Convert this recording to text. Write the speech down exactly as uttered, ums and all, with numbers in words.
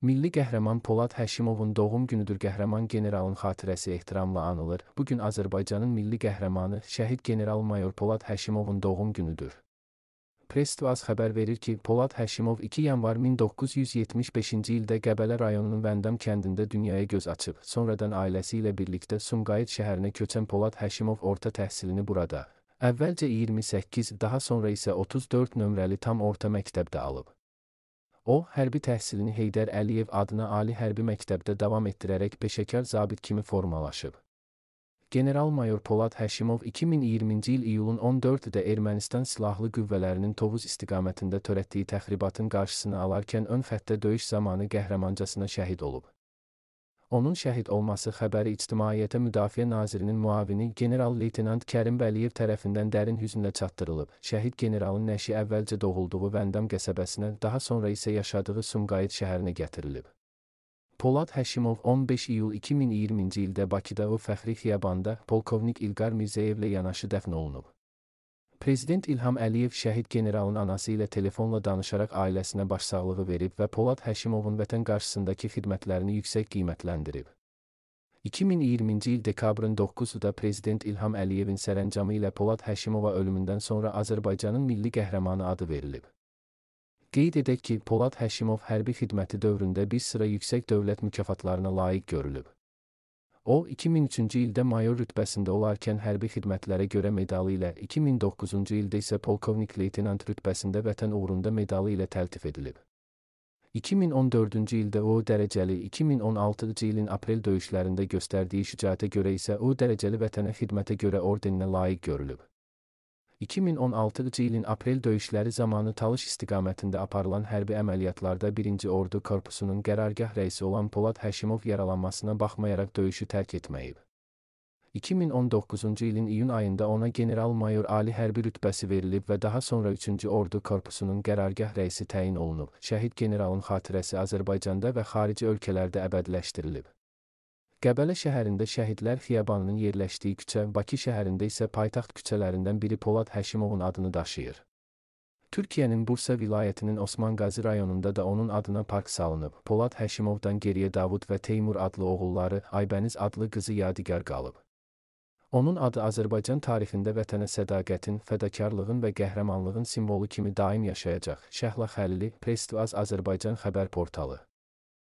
Milli qəhrəman Polad Həşimovun doğum günüdür. Qəhrəman generalın xatirəsi ehtiramla anılır. Bugün Azərbaycanın milli qəhrəmanı, şəhid general-mayor Polad Həşimovun doğum günüdür. Press-Tvaz xəbər verir ki, Polad Həşimov iki yanvar min doqquz yüz yetmiş beşinci ildə Qəbələ rayonunun Vəndam kəndində dünyaya göz açıb. Sonradan ailəsi ilə birlikdə Sumqayıt şəhərinə köçən Polad Həşimov orta təhsilini burada, əvvəlcə iyirmi səkkiz, daha sonra isə otuz dörd nömrəli tam orta məktəbdə alıb. O, hərbi təhsilini Heydər Əliyev adına Ali Hərbi Məktəbdə davam etdirərək peşəkar zabit kimi formalaşıb. General-mayor Polad Həşimov iki min iyirminci il iyulun on dördündə Ermənistan Silahlı Qüvvələrinin Tovuz istiqamətində törətdiyi təxribatın qarşısını alarkən ön xəttdə döyüş zamanı qəhrəmancasına şəhid olub. Onun şəhid olması xəbəri İctimaiyyətə Müdafiə Nazirinin müavini general-leytenant Kərim Vəliyev tərəfindən dərin hüznlə çatdırılıb. Şəhid generalın nəşi əvvəlcə doğulduğu Vəndam qəsəbəsinə, daha sonra isə yaşadığı Sumqayıt şəhərinə gətirilib. Polad Həşimov on beş iyul iki min iyirminci ildə Bakıda o fəxri xiyabanda polkovnik İlqar Mirzəyevlə yanaşı dəfn olunub. Prezident İlham Əliyev şəhid generalın anası ilə telefonla danışaraq ailəsinə başsağlığı verib və Polad Həşimovun vətən qarşısındakı xidmətlərini yüksək qiymətləndirib. iki min iyirminci il dekabrın doqquzunda Prezident İlham Əliyevin sərəncamı ilə Polad Həşimova ölümündən sonra Azərbaycanın milli qəhrəmanı adı verilib. Qeyd edək ki, Polad Həşimov hərbi xidməti dövründə bir sıra yüksək dövlət mükafatlarına layiq görülüb. O, iki min üçüncü ildə mayor rütbəsində olarkən hərbi xidmətlərə görə medalı ilə, iki min doqquzuncu ildə isə polkovnik-leytenant rütbəsində vətən uğrunda medalı ilə təltif edilib. iki min on dördüncü ildə o dərəcəli, iki min on altıncı ilin aprel döyüşlərində göstərdiyi şücaətə görə isə o dərəcəli vətənə xidmətə görə ordeninə layiq görülüb. iki min on altıncı ilin aprel döyüşləri zamanı Talış istiqamətində aparılan hərbi əməliyyatlarda birinci Ordu Korpusunun qərargah rəisi olan Polad Həşimov yaralanmasına baxmayaraq döyüşü tərk etməyib. iki min on doqquzuncu ilin iyun ayında ona general-mayor ali hərbi rütbəsi verilib və daha sonra üçüncü Ordu Korpusunun qərargah rəisi təyin olunub. Şəhid generalın xatirəsi Azərbaycanda və xarici ölkələrdə əbədiləşdirilib. Qəbələ şəhərində Şəhidlər Xiyabanının yerləşdiyi küçə, Bakı şəhərində isə paytaxt küçələrindən biri Polad Həşimovun adını daşıyır. Türkiyənin Bursa vilayətinin Osman Qazi rayonunda da onun adına park salınıb. Polad Həşimovdan geriyə Davud və Teymur adlı oğulları, Aybəniz adlı qızı yadigar qalıb. Onun adı Azərbaycan tarixində vətənə sədaqətin, fədakarlığın və qəhrəmanlığın simvolu kimi daim yaşayacaq. Şəhla Xəlili, Press-Tvaz Azərbaycan xəbər portalı.